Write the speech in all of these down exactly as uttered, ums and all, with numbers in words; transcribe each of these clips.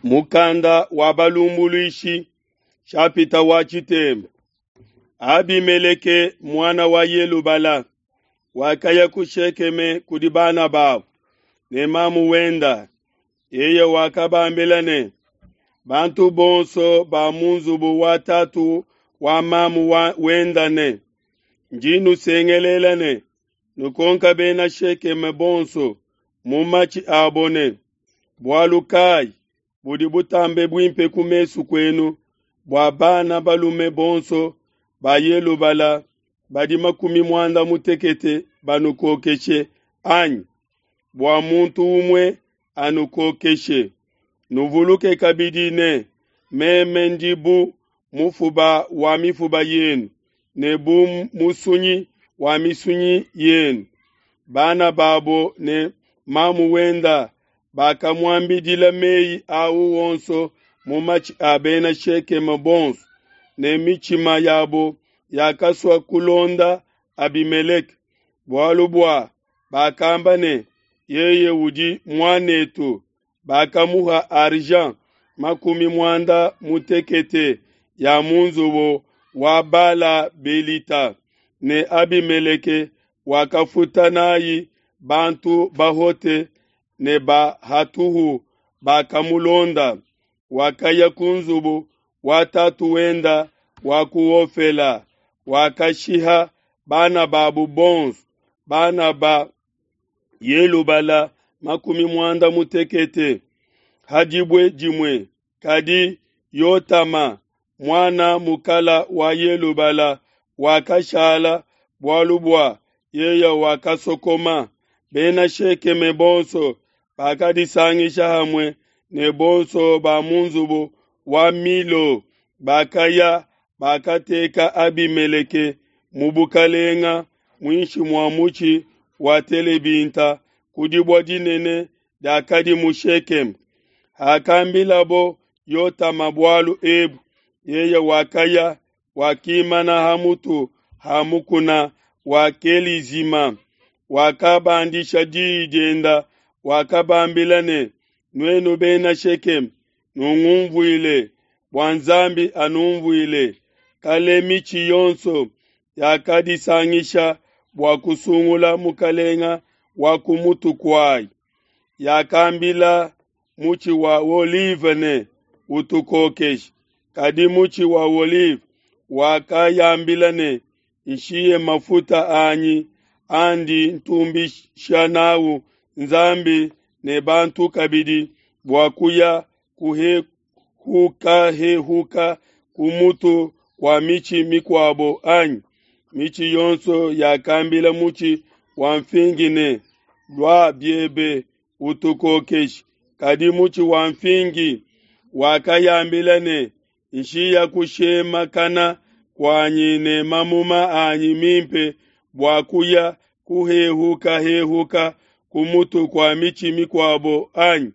Mukanda wa balumbuluishi nshapita wa tshitembu. Abimeleke muana wa Yelubala wakaya ku Shekeme kudi bana babu ne mamu wenda. Yeye wakabambila ne, bantu bonso ba mu nzubu wa tatu wa mamu wa wenda ne, ndi nusengelela ne, nukonka bena Shekeme bonso mu matshi abo ne, bualu kayi budi butambe buimpe ku mesu kuenu bua bana balume bonso ba Yelubala badi makumi muanda mutekete banukokeshe anyi bua muntu umue anukokeshe? Nuvuluke kabidi ne, meme ndi bu mufuba wa mifuba yenu ne bu musunyi wa misunyi yenu. Bana babo ne mamu wenda bakamuambidila meyi au onso mu matshi a bena Shekeme bonso, ne mitshima yabo yakasua kulonda Abimeleke, bualu bua bakamba ne, yeye udi muan'etu. Bakamuha argent makumi muanda mutekete ya mu nzubu wa Bala-belita, ne Abimeleke wakafuta n'ai bantu bahote ne ba hatuhu bakamulonda. Wakaya ku nzubu wa tatu wenda wa ku Ofela, wakashiha bana babu bonso, bana ba Yelubala makumi muanda mutekete ha dibue dimue. Kadi Yotama, muana mukala wa Yelubala, wakashala, bualu bua yeye wakasokoma. Bena Shekeme bonso bakadisangisha hamue ne bonso ba mu nzubu wa Milo, bakaya, bakateka Abimeleke mu bukalenga muinshi mua mutshi wa telebinta ku dibue dinene diakadi mu Shekeme. Hakambilabo Yotama bualu ebu, yeye wakaya, wakimana ha mutu ha mukuna wa Kelizima, wakabandisha diyi dienda, wakabambila ne, nuenu bena Shekeme, nungunvuile, bua Nzambi anunvuile. Kale mitshi yonso yakadisangisha bua kusungula mukalenga wa ku mutu kuayi. Yakambila mutshi wa olive ne, utukokeshe. Kadi mutshi wa olive wakayambila ne, nshiye mafuta anyi andi ntumbisha n'au Nzambi ne bantu kabidi, bua kuya kuhehukahehuka ku mutu kua mitshi mikuabo anyi? Mitshi yonso yakambila mutshi wa nfingi ne, lua biebe utukokeshe. Kadi mutshi wa nfingi wakayambila ne, nshiya kushemakana kuanyi ne mamuma anyi mimpe bua kuya kuhehukahehuka ku mutu kua mitshi mikuabo anyi?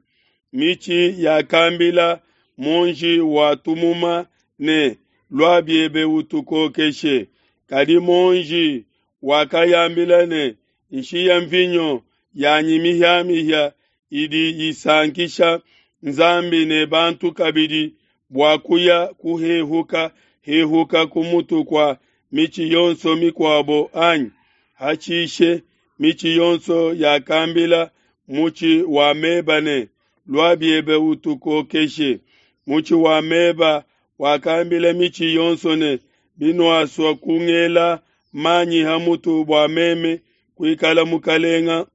Mitshi yakambila muonji wa tumuma ne, lua biebe utukokeshe. Kadi muonji wakayambila ne, nshiya mvinyo yanyi mihiamihia idi isankisha Nzambi ne bantu kabidi, bua kuya kuhehuka hehuka ku mutu kua mitshi yonso mikuabo anyi? Hashishe mitshi yonso yakambila mutshi wa meba ne, lua biebe utukokeshe. Mutshi wa meba wakambila mitshi yonso ne, binuasua kungela manyi ha mutu bua meme kuikala mukalenga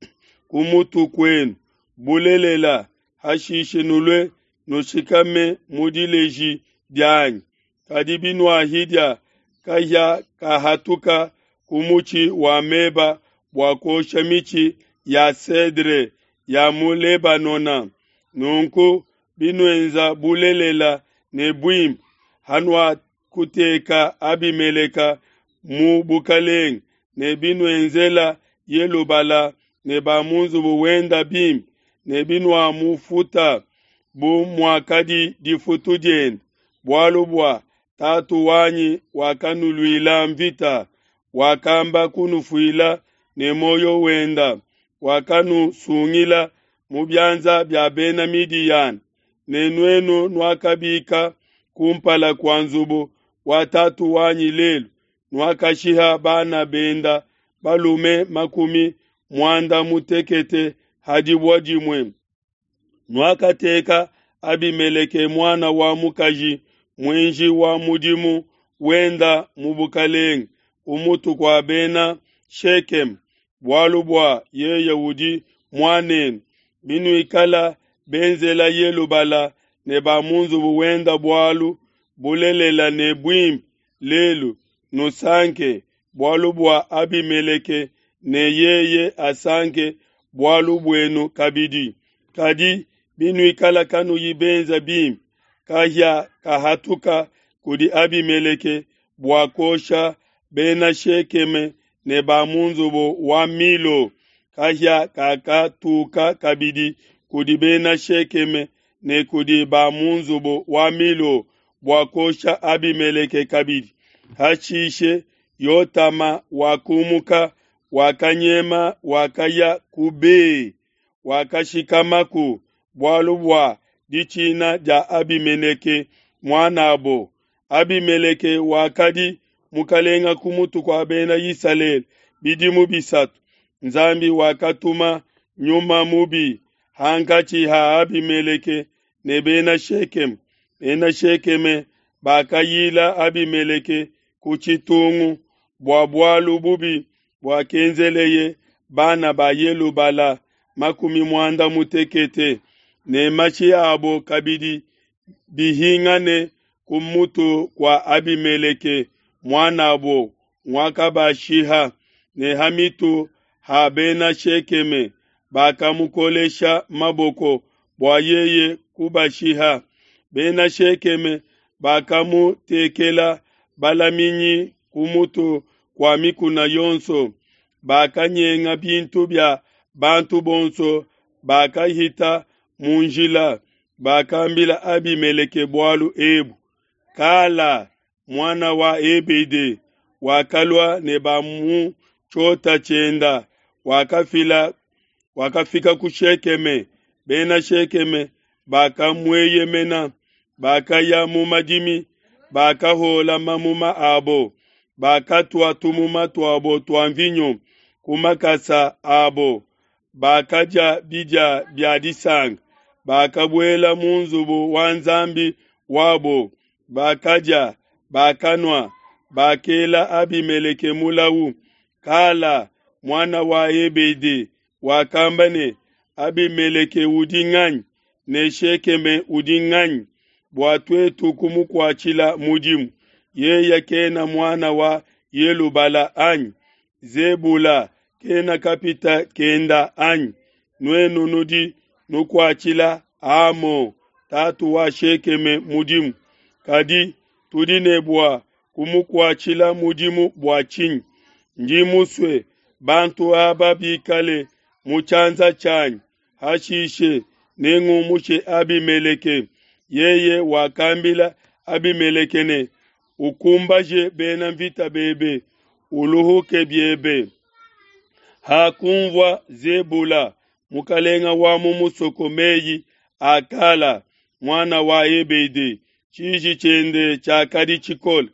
ku mutu kuenu, bulelela, hashishe nulue nushikame mu dileji dianyi. Kadi binuahidia kahia kahatuka ku mutshi wa meba bua kuosha mitshi ya cedre ya mu Lebanona. Nunku binuenza bulelela ne buimpe, hanuakuteka Abimeleke mu bukalenge, ne binuenzela Yelubala ne ba mu nzubu wenda bimpe, ne binuamufuta bu muakadi difutu diende, bualu bua tatu wanyi wakanuluila mvita, wakamba kunufuila ne muoyo wenda, wakanusungila mu bianza bia bena Midiyana. ne nuenu nuakabika ku mpala kua nzubu wa tatu wanyi lelu, nuakashiha bana benda balume makumi muanda mutekete ha dibue dimue. Nuakateka Abimeleke muana wa mukaji muenji wa mudimu wenda mu bukelenge ku mutu kua bena Shekeme, bualu bua yeye udi muan'enu. Binuikala benzela Yelubala ne ba mu nzubu wenda bualu bulelela ne buimpe lelu, nusanke bualu bua Abimeleke ne yeye asanke bualu buenu kabidi. Kadi binuikala kanuyi benza bimpe, kahia kahatuka kudi Abimeleke bua kuosha bena Shekeme ne ba mu nzubu wa Milo. Kahia kakatuka kabidi kudi bena Shekeme ne kudi ba mu nzubu wa Milo bua kuosha Abimeleke kabidi. Hashishe Yotama wakumuka, wakanyema, wakaya ku Be, wakashikamaku bualu bua ditshina dia Abimeleke muan'abo. Abimeleke wakadi mukalenga ku mutu kua bena Isalele bidimu bisatu. Nzambi wakatuma nyuma mubi hankatshi ha Abimeleke ne bena Shekeme. Bena Shekeme bakayila Abimeleke ku tshitungu bua bualu bubi buakenzeleye bana ba Yelubala makumi muanda mutekete, ne mashi abo kabidi bihingane ku mutu kua Abimeleke muan'abo nguakabashiha, ne ha mitu ha bena Shekeme bakamukolesha maboko bua yeye kubashiha. Bena Shekeme bakamutekela balaminyi ku mutu kua mikuna yonso, bakanyenga bintu bia bantu bonso bakahita mu njila. Bakambila Abimeleke bualu ebu. Kala, muana wa Ebede, wakalua ne ba mu tshiota tshienda, wakafila wakafika ku Shekeme. Bena Shekeme bakamueyemena, bakaya mu madimi, bakahola mamuma abo, bakatua tumuma tuabo tua mvinyo ku makasa abo, bakadia bidia bia disanka, bakabuela mu nzubu wa nzambi wabo, bakadia, bakanua, bakela Abimeleke mulawu. Kala, muana wa Ebede, wakamba ne, Abimeleke udi nganyi, ne Shekeme udi nganyi, bua tuetu kumukuatshila mudimu? Yeye kena muana wa Yelubala anyi? Zebula kena kapita kenda anyi? Nuenu nudi nukuatshila Hamo, tatu wa Shekeme, mudimu. Kadi tudi ne bua kumukuatshila mudimu bua tshinyi? Ndi musue bantu aba bikale mu tshianza tshianyi, hashishe nengumushe Abimeleke. Yeye wakambila Abimeleke ne, ukumbaje bena mvita bebe, uluhuke biebe. Hakunvua Zebula, mukalenga wa mu musoko, meyi a Kala, muana wa Ebede, tshiji tshiende tshiakadi tshikole.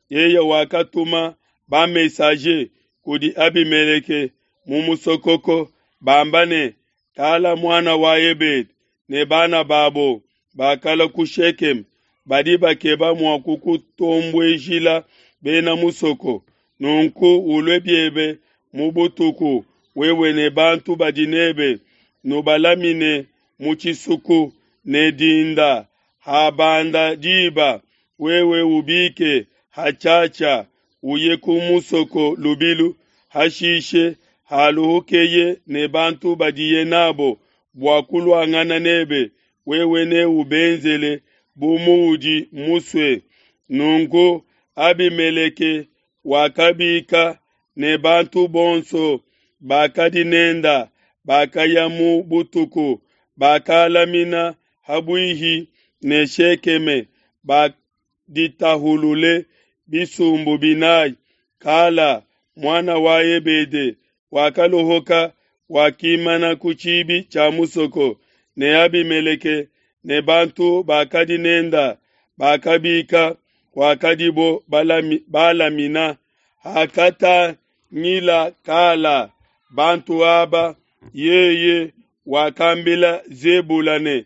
Yeye wakatuma ba-messager kudi Abimeleke mu musokoko, bamba ne, Kala muana wa Ebede ne bana babo bakala ku Shekeme, badi bakeba mua kukutombuejila bena musoko. Nunku ulue biebe mu butuku, wewe ne bantu badi nebe, nubalamine mu tshisuku, ne dinda habanda diba, wewe ubike hatshiatshia, uye ku musoko lubilu. Hashishe haluhukeye ne bantu badiye nabo bua kuluangana nebe, wewe neubenzele bu muudi musue. Nunku Abimeleke wakabika ne bantu bonso bakadi nenda, bakaya mu butuku, bakalamina habuihi ne Shekeme, baditahulule bisumbu binayi. Kala, muana wa Ebede, wakalohoka, wakimana ku tshibi tshia musoko, ne Abimeleke ne bantu bakadi nenda bakabika kuakadibo balami, balamina. Hakatangila Kala bantu aba, yeye wakambila Zebula ne,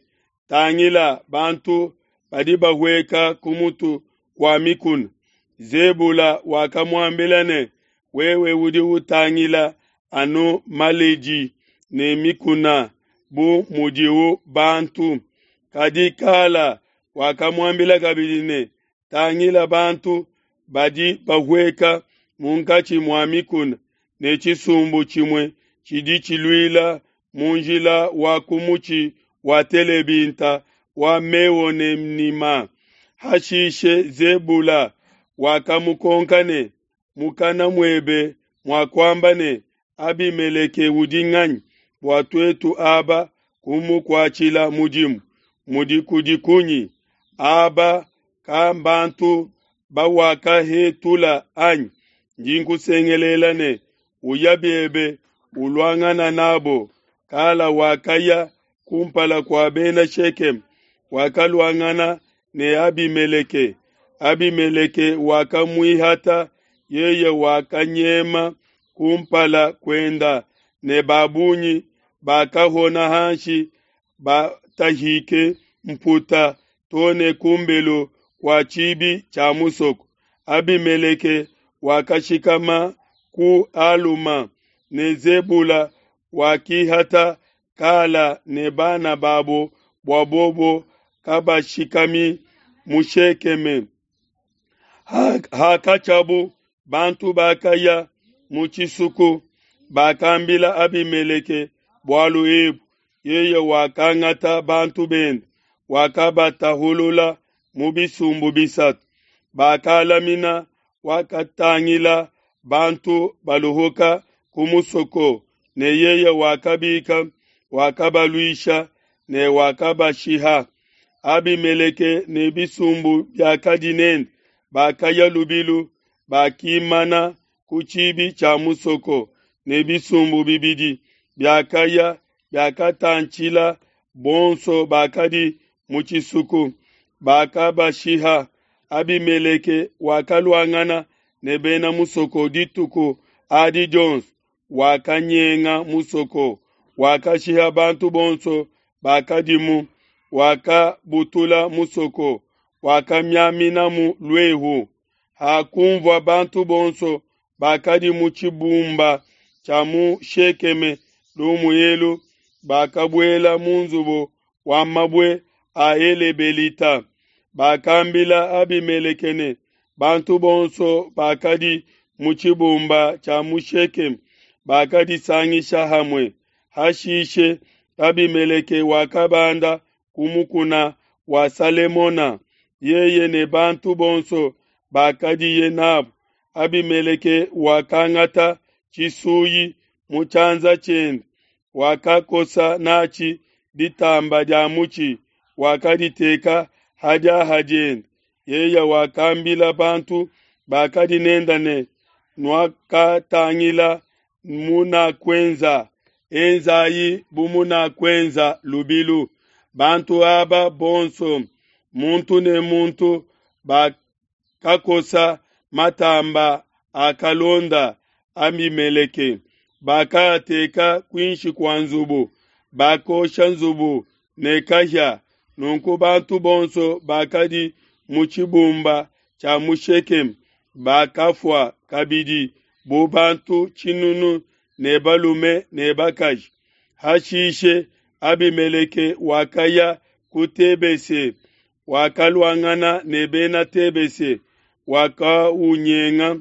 Tangila, bantu badi bahueka ku mutu kua mikuna. Zebula wakamuambila ne, Wewe udi utangila anu maleji ne mikuna bu mudiu bantu. Kadi Kala wakamuambila kabidi ne, Tangila, bantu badi bahueka munkatshi mua mikuna, ne tshisumbu tshimue tshidi tshiluila mu njila wa ku mutshi wa telebinta wa Meonenima. Hashishe Zebula wakamukonka ne, Mukana muebe muakuamba ne, Abimeleke udi nganyi bua tuetu aba kumukuatshila mudimu? Mudi kudi kunyi? Aba kambantu bawakahetula anyi? Ndi nkusengelela ne, Uya biebe uluangana nabo. Kala wakaya kumpala kua bena Shekeme, wakaluangana ne Abimeleke. Abimeleke wakamuihata, yeye wakanyema kumpala kuenda, ne ba bungi bakahona hanshi batahike mputa to ne ku mbelu kua tshibi tshia musoko. Abimeleke wakashikama ku Aluma, ne Zebula wakihata Kala ne bana babo bua bobo kabashikami mu Shekeme. Hakatshiabu bantu bakaya mu tshisuku, bakambila Abimeleke bualu ebu. Yeye wakangata bantu bende, wakabatahulula mu bisumbu bisatu. Bakalamina, wakatangila bantu baluhuka ku musoko, ne yeye wakabika, wakabaluisha ne wakabashiha. Abimeleke ne bisumbu biakadi nende bakaya lubilu, bakimana ku tshibi tshia musoko, ne bisumbu bibidi biakaya biakatantshila bonso bakadi mu tshisuku, bakabashiha. Abimeleke wakaluangana ne bena musoko dituku adi dionso, wakanyenga musoko, wakashiha bantu bonso bakadimu, wakabutula musoko, wakamiaminamu luehu. Hakunvua bantu bonso bakadi mu tshibumba tshia mu Shekeme lumu elu, bakabuela mu nzubu wa mabue a Elebelita. Bakambila Abimeleke ne, bantu bonso bakadi mu tshibumba tshia mu Shekeme bakadisangisha hamue. Hashishe Abimeleke wakabanda ku mukuna wa Salemona, yeye ne bantu bonso bakadiye nabo. Abimeleke wakangata tshisuyi mu tshianza tshiende, wakakosa natshi ditamba dia mutshi, wakaditeka ha diaha diende. Yeye wakambila bantu bakadi nenda ne, Nuakatangila munakuenza, enzayi bu munakuenza lubilu. Bantu aba bonso, muntu ne muntu, bakakosa matamba akalonda Abimeleke, bakaateka kuinshi kua nzubu, bakosha nzubu ne kahia. Nunku bantu bonso bakadi mu tshibumba tshia mu Shekeme bakafua kabidi bu bantu tshinunu ne balume ne bakaji. Hashishe Abimeleke wakaya ku Tebese, wakaluangana ne bena Tebese, wakaunyenga.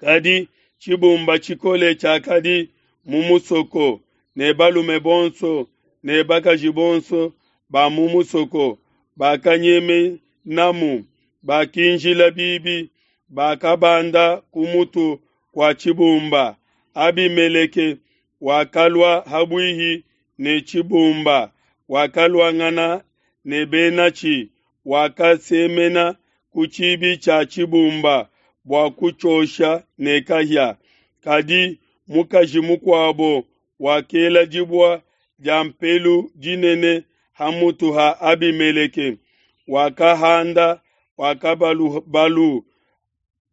Kadi tshibumba tshikole tshiakadi mu musoko, ne balume bonso ne bakaji bonso ba mu musoko bakanyemenamu, bakinjila bibi, bakabanda ku mutu kua tshibumba. Abimeleke wakalua habuihi ne tshibumba, wakaluangana ne benatshi, wakasemena ku tshibi tshia tshibumba bua kutshiosha ne kahia. Kadi mukaji mukuabo wakela dibua dia mpelu dinene ha mutu ha Abimeleke, wakahanda wakabalubalu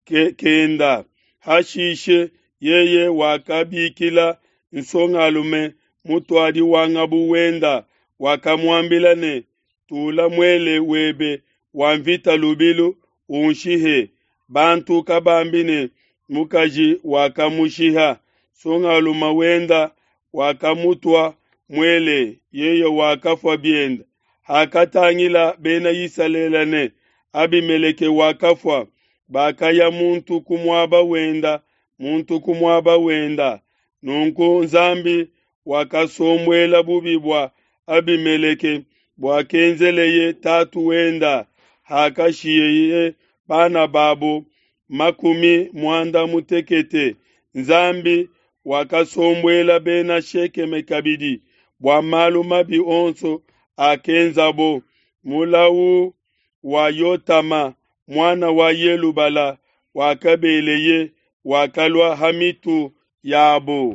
ke, kenda. Hashishe yeye wakabikila nsongalume mutuadi wa ngabu wenda, wakamuambila ne, Tula muele webe wa nvita lubilu, unshihe, bantu kabambi ne, Mukaji wakamushiha. Nsongalume wenda wakamutua muele, yeye wakafua biende. Hakatangila Bena Isalele ne, Abimeleke wakafua, bakaya muntu ku muaba wenda, muntu ku muaba wenda. Nunku Nzambi wakasombuela bubi bua Abimeleke buakenzeleye tatu wenda, hakashiheye bana babo makumi muanda mutekete. Nzambi wakasombuela Bena Shekeme kabidi bua malu mabi onso akenzabo. Mulau wa Yotama, muana wa Yelubala, wakabeleye, wakalua ha mitu yabo.